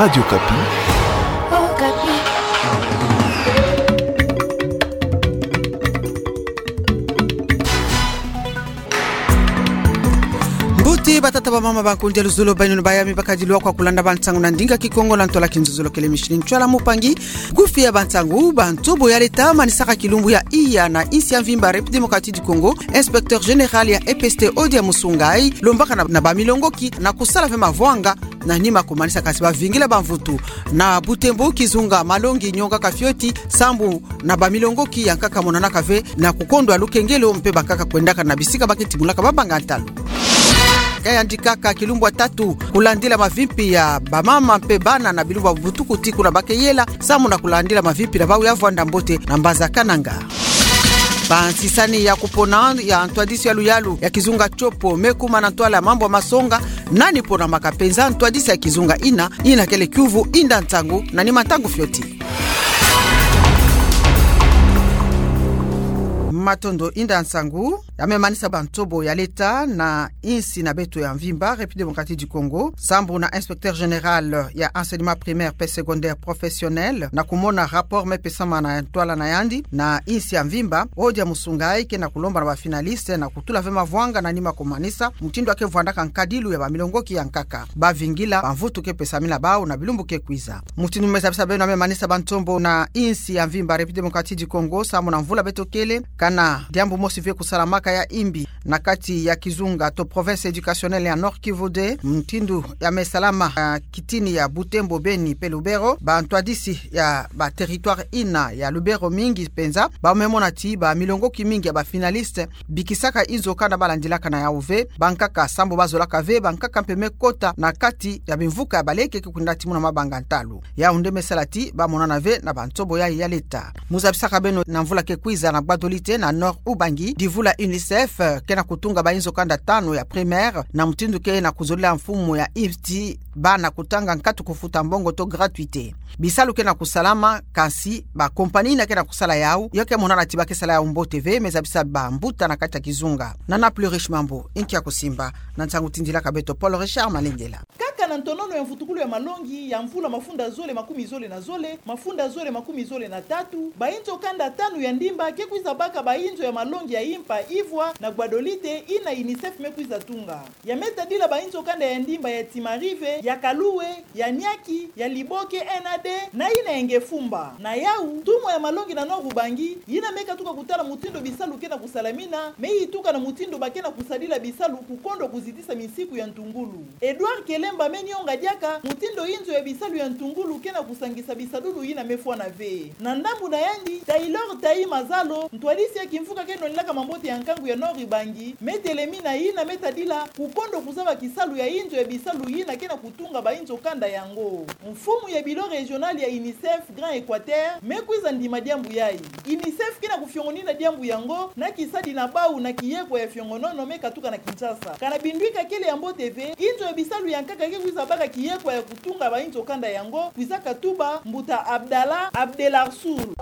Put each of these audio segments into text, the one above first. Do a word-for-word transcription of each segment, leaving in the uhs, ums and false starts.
Radio Okapi. Mbuti batata bamama, bankundi ya luzolo, bainunu bayami, bakadilu kwa kulanda bansangu na ndinga Kikongo na ntwala kinzuzulukele. Micheline Ntwala, mupangi kufi ya bansangu. Bantobo ya leta manisaka kilumbu ya iya na insi ya mvimba République Démocratique du Congo, inspecteur général ya E P S T Odia Musungai, lombaka na, na bamilongoki na kusala ve mavwanga na nima kumanisa kansi bavingila bamvutu na Butembo kizunga malongi nyongaka fioti, sambu na bamilongoki ya nkaka monanaka ve na kukondwa lukengelo mpe bankaka kwendaka na bisika ba keti mulaka babanga ntalu. Kayandikaka kilumbu ya tatu kulandila mavimpi ya bamama mpe bana na bilumbu ya butuku ti kuna ba keyela, sambu na kulandila mavimpi na bawu ya vwanda mbote na mbaza Kananga. Bansisani ya kupona ya ntwadisi ya luyalu ya kizunga Tshopo me kuma na ntwala ya mambu ya masonga, nani ponamaka penza ntwadisi ya kizunga ina, ina kele kiuvu inda nsangu na nima ntangu fioti. Matondo, inda nsangu. Ya me manisa bantobo ya leta na insi na beto ya mvimba République Démocratique du Congo, sambu na inspecteur général ya enseignement primaire pe secondaire professionnel, na kumona rapport me pesama na ntwala na yandi na insi ya mvimba, Odia Musungai ke na kulomba na bafinaliste na kutula ve mavwanga na nima kumanisa mutindu ya ke vwandaka nkadilu ya bamilongoki ya nkaka, bavingila bamvutu ke pesamina bawu na bilumbu ke kwiza. Mutindu me zabisa beno ya me manisa bantobo na insi ya mvimba République Démocratique du Congo, sambu na mvula beto kele, kana diambu mosi ve kusalamaka ya imbi na kati ya kizunga to province éducationnelle ya Nord-Kivu deux, mutindu ya me salama, ah, kitini ya Butembo, Beni pe Lubero. Bantwadisi ya ba territoire ina ya Lubero mingi penza ba me mona ti bamilongoki mingi ya bafinaliste bikisaka inzo kanda balandilaka na yawu ve bankaka, sambu bazolaka ve bankaka mpe me kota na kati ya bimvuka ya baleke ke kwenda timuna mabanga ntalu. Yawu nde me sala ti ba monana ve na bantobo ya, ya leta. Mu zabisaka beno na mvula ke kwiza na Gbadolite na Nord-Ubangi, divula UNICEF, eh, ke na kutunga bainzo kanda tanu ya primaire, na mutindu ke na kuzolila mfumu ya insi bana kutanga nkatu kufuta mbongo to gratuité. Bisalu ke na kusalama, kansi bakompani ina ke na kusala yawu, yo ke monana ti ba ke sala yawu mbote ve, me zabisa bambuta na kati ya kizunga. Nana Plus Riche Mambu, inki ya kusimba, na nsangu tindilaka beto Paul Richard Malengela. Kaka na ntonono ya mvutukulu ya malongi ya mvula mafunda zole makumi zole na zole, mafunda zole makumi zole na tatu, bainzo kanda tanu ya ndimba ke kwiza baka bainzo ya malongi ya impa ivwa na Gbadolite, ina UNICEF me kwiza tunga. Ya me tadila bainzo kanda ya ndimba ya Timarive, ya Kaloué, ya Niaki, ya Liboke, N A D, na ina ya Ngefumba. Na yawu, ntumwa ya malongi na Nord-Ubangi, ina me katuka kutala mutindu bisalu ke na kusalamina, me yituka na mutindu ba ke na kusadila bisalu kukondwa kuzitisa misiku ya ntungulu. Edouard Kelemba me nionga diaka mutindu inzo ya bisalu ya ntungulu ke na kusangisa bisadulu ina me fwana ve. Na ndambu na yandi, Taylor Tayi Mazalo, ntwadisi ya kimvuka ke nonelaka mambote ya nkangu ya Nord-Ubangi, me telemina ina me tadila kukondwa kuzaba kisalu ya inzo ya bisalu ina ke na kutunga bainzo kanda yango. Mfumu ya bureau régional ya UNICEF Grand Équateur me kwiza ndima diambu yayi. UNICEF ke na kufiongonina diambu yango na kisadi na bawu na kiyekwa ya fiongonono me katuka na Kinshasa. Kana bindwika kele ya mbote ve, inzo ya bisalu ya nkaka ke kwiza baka kiyekwa ya kutunga bainzo kanda yango, kwiza katuba mbuta Abdallah Abdelarsoul.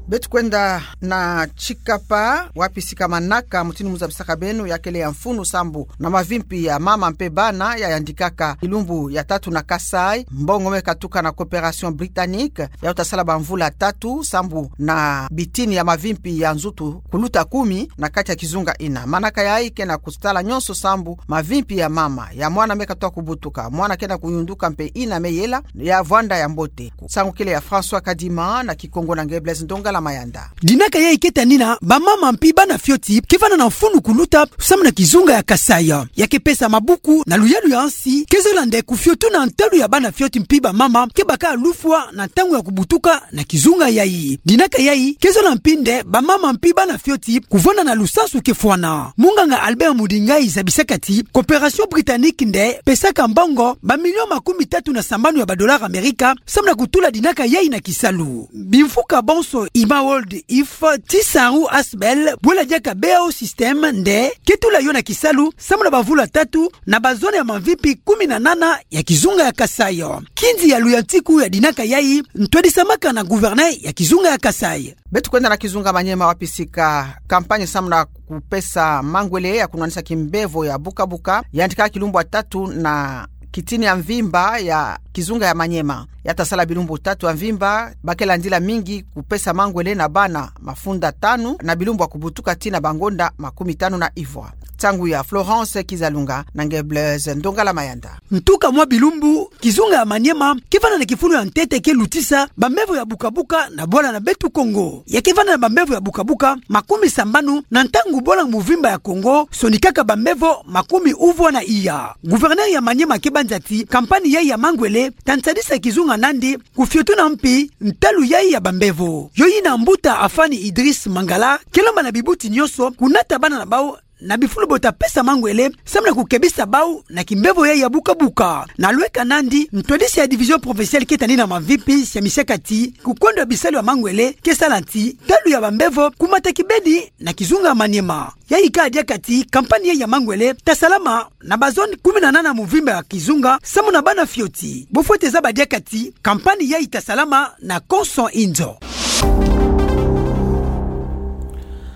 Beto kwenda na Tshikapa, wapi sikamanaka, mutindu mu zabisaka beno, ya kele ya mfunu sambu na mavimpi ya mama mpe bana ya yandikaka kilumbu ya tatu na Kasaï, mbongo me katuka na Coopération Britannique, yayi ta sala bamvula tatu sambu na bitini ya mavimpi ya nzutu kuluta kumi na kati ya kizunga ina. Manaka yayi ke na kusala nyonso sambu mavimpi ya mama, ya mwana me katuka kubutuka, mwana ke na kuyunduka mpe ina me yela, ya vwanda ya mbote. Nsangu kele ya François Kadima, na Kikongo na nge Blaise Ndongala Mayanda. Dinaka yayi ke tanina bamama mpi bana fioti ke vanda na mfunu kuluta samu na kizunga ya Kasaï. Ya ke pesa mabuku na luyalu ya nsi ke zola nde kufio tuna ntalu ya bana fioti mpi bamama ke baka lufwa na ntangu ya kubutuka na kizunga yayi. Dinaka yayi ke zola mpi nde bamama mpi bana fioti kuvanda na lusansu ke fwana. Munganga Albert Mudingai zabisaka ti Coopération Britannique nde pesaka mbongo bamilio makumi tatu na sambanu ya badollars Amerika samu na kutula dinaka yayi na kisalu. Bimfuka bonso i Paul de If, ti Saru Asbel, bwela diaka B A O Système nde ke tula yo na kisalu samu na bavula tatu na bazone ya mamvipi kumi na nana ya kizunga ya Kasaï. Kinzi ya Luyantiku yadinaka yayi, ntwadisamaka na gouverneur ya kizunga ya Kasaï. Beto kwenda na kizunga Maniema, wapi sika campagne samu na kupesa mangwele ya kunwanisa kimbevo ya bukabuka yandika kilumbu ya tatu na kitini ya mvimba ya kizunga ya Maniema. Ya tasala bilumbu tatu ya mvimba, ba ke landila mingi kupesa mangwele na bana mafunda tanu na bilumbu ya kubutuka tii na bangonda makumi tanu na ivwa. Nsangu ya Florence Kizalunga na nge Blaise Ndongala Mayanda. Ntuka mwa bilumbu, kizunga ya Maniema ke vanda na kifulu ya ntete ke lutisa bambevo ya bukabuka na bwala na beto Kongo. Ya ke vanda na bambevo ya bukabuka makumi sambanu na ntangu bwala muvimba ya Kongo sonikaka bambevo makumi uvwa na iya. Gouverneur ya Maniema ke banza ti campagne yayi ya mangwele ta nsadisa kizunga nandi kufiotuna mpi ntalu yayi ya bambevo. Yo yina mbuta Afani Idriss Mangala ke lomba na bibuti nyonso kunata bana na bau na bifulu bo ta pesa mangwele samu na kukebisa bau na kimbevo yayi ya bukabuka. Na lweka nandi, ntwadisi ya division provinciale ke tani na mamvipi siamisaka ti kukwendwa bisalu ya mangwele ke sala ti ntalu ya bambevo kumata kibeni na kizunga Maniema. Yayi ka diaka ti campagne yayi ya mangwele ta salama na bazone kumi na nana muvimba ya kizunga samu na bana fioti. Bo fwete zaba diaka ti campagne yayi ta salama na konso inzo.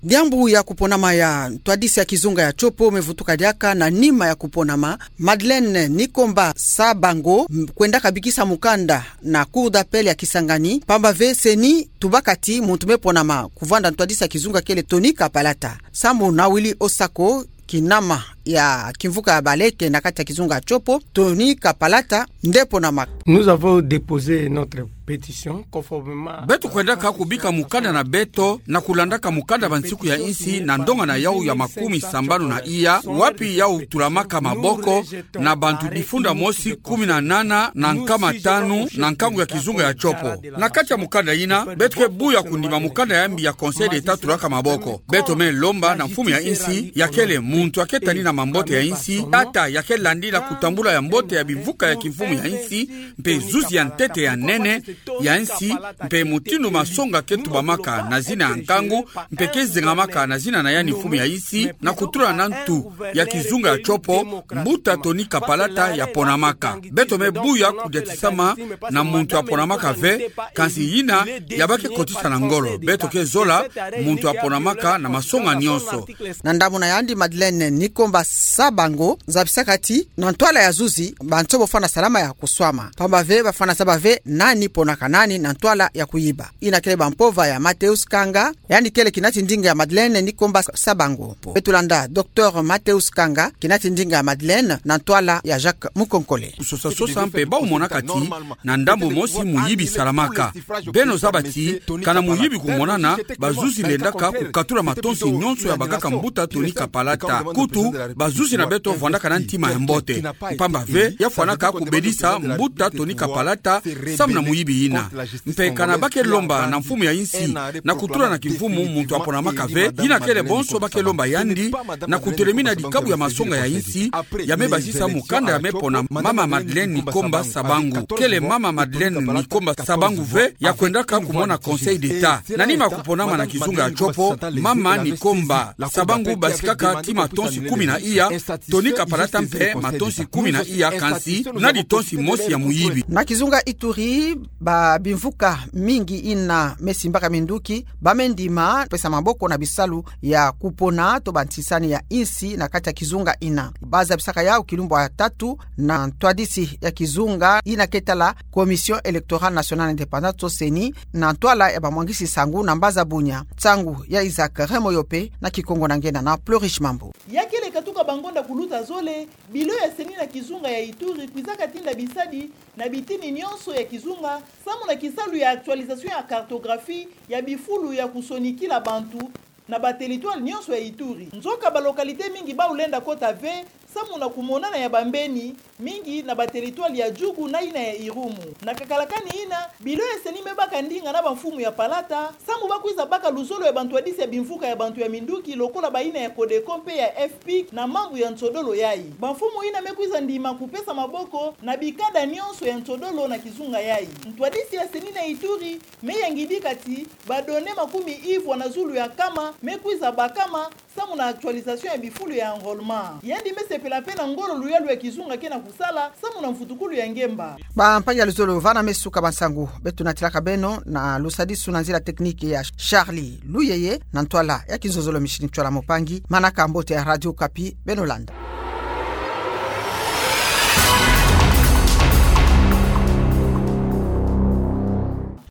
Diambu ya kuponama ya ntwadisi ya kizunga ya Tshopo me vutuka diaka. Na nima ya kuponama, Madeleine Nikomba Sabango, m-, kwendaka bikisa mukanda na Cour d'appel ya Kisangani, pamba ve CENI tubaka ti muntu me ponama kuvanda ntwadisi ya kizunga kele Tony Kapalata. Samu na Willy Osako, kinama ya kimvuka ya Baleke na kati ya kizunga ya Tshopo, Tony Kapalata nde ponamaka. Nous avons déposé notre pétition conformément à... Beto kwendaka kubika mukanda na beto na kulandaka mukanda ba nsiku ya insi na ndonga na yau ya makumi sambanu na iya, wapi yau tulamaka maboko na bantu bifunda mosi kumi na nana na nkama tanu na nkangu ya kizunga ya Tshopo. Na kati ya mukanda yina, beto ke buya kundima mukanda ya mbi ya Conseil d'État tulaka maboko. Beto me lomba na mfumu ya insi, ya kele muntu ya ke tani na mambote ya insi, tata ya ke landila kutambula ya mbote ya bimvuka ya kimfumu ya insi, mpe zuzi ya ntete ya nene ya insi, mpe mutindu masonga ke tubamaka na zina ya nkangu, mpe ke zengamaka na zina na yandi mfumu ya insi, na kutula na ntu ya kizunga ya Tshopo, mbuta Tony Kapalata ya ponamaka. Beto me buya kudiatisama na muntu ya ponamaka ve, kansi yina ya ba ke kotisa na ngolo. Beto ke zola muntu ya ponamaka na masonga nyonso. Na ndambu na yandi, Madeleine Nikomba Sabango zabisaka ti na ntwala ya zuzi, bantu bo fwana salama ya kuswama. Pamba ve ba fwana zaba ve nani ponaka nani na ntwala ya kuyiba. Yina kele bampova ya Mateus Kanga, yandi kele kinati ndinga ya Madeleine Nikomba Sabango. Beto landa Docteur Mateus Kanga, kinati ndinga ya Madeleine, na ntwala ya Jacques Mukonkole. Kusosa sosa mpe bau monaka ti na ndambu mosi muyibi salamaka. Beno zaba ti, kana muyibi kumonana, bazuzi lendaka kukatula matonsi nyonso ya bakaka mbuta Tony Kapalata. Kutu, bazuzi na beto vandaka na ntima ya mbote. Pamba ve, ya fwanaka kubedisa mbuta Tony Kapalata samu na muyibi yina. Mpe kana ba ke lomba na mfumu ya insi na kutula na kimfumu muntu ya ponamaka ve, yina kele bonso ba ke lomba yandi na kutelemina dikabu ya masonga ya insi, ya me basisa mukanda ya me pona mama Madeleine Nikomba Sabangu. Kele mama Madeleine Nikomba Sabangu ve ya kwendaka kumona Conseil d'État. Na nima kuponama na kizunga ya Tshopo, mama Nikomba Sabangu basikaka ti matonsi kumi na iya, Tony Kapalata mpe matonsi kumi na iya, kansi na ditonsi mosi ya muyibi. Na kizunga Ituri, ba bimvuka mingi yina me simbaka minduki, ba me ndima pesa maboko na bisalu ya kupona to bantisani ya insi na kati ya kizunga yina. Ba zabisaka yau kilumbu ya tatu na ntwadisi ya kizunga yina ke tala Commission Électorale Nationale Indépendante to CENI, na ntwala ya bamwangisi nsangu na mbaza bunya. Nsangu ya Isaac Remoyope na Kikongo na nge Nana Plurish Mambu. Ya kele katuka bangonda kuluta zole, bilo ya CENI na kizunga ya Ituri kwizaka tinda bisadi na bitini nyonso ya kizunga, samu na kisalu ya actualisation ya cartographie ya bifulu ya kusonikila bantu na ba territoire nyonso ya Ituri. Nzoka ba localité mingi bau lenda kota ve samu na kumonana ya bambeni mingi na bateritware ya Djugu na yina ya Irumu. Na kakala kani yina, bilo ya CENI mebaka ndinga na bamfumu ya Palata samu bakwiza baka luzolo ya bantwadisi ya bimvuka ya bantu ya minduki lokola bayina ya CODECO mpe ya FPIC na mambu ya nsodolo yayi. Bamfumu yina mekwiza ndima kupesa maboko na bikanda nyonso ya nsodolo na kizunga yayi. Ntwadisi ya CENI na Ituri meyangidika ti badonnées makumi ivwa na zulu ya nkama mekwiza bakama samu na actualisation ya bifulu ya enrôlement. Yandi mesepela mpe na ngolo luyalu ya kizunga ke na kusala samu na mvutukulu ya ngemba. Bampangi ya luzolo, vana mesuka bansangu beto natilaka beno, na lusadisu na nzila technique ya Charlie Luyeye, na ntwala ya kinzonzolo Micheline Tshoala Mopangi, manaka mbote ya Radio Okapi, beno landa.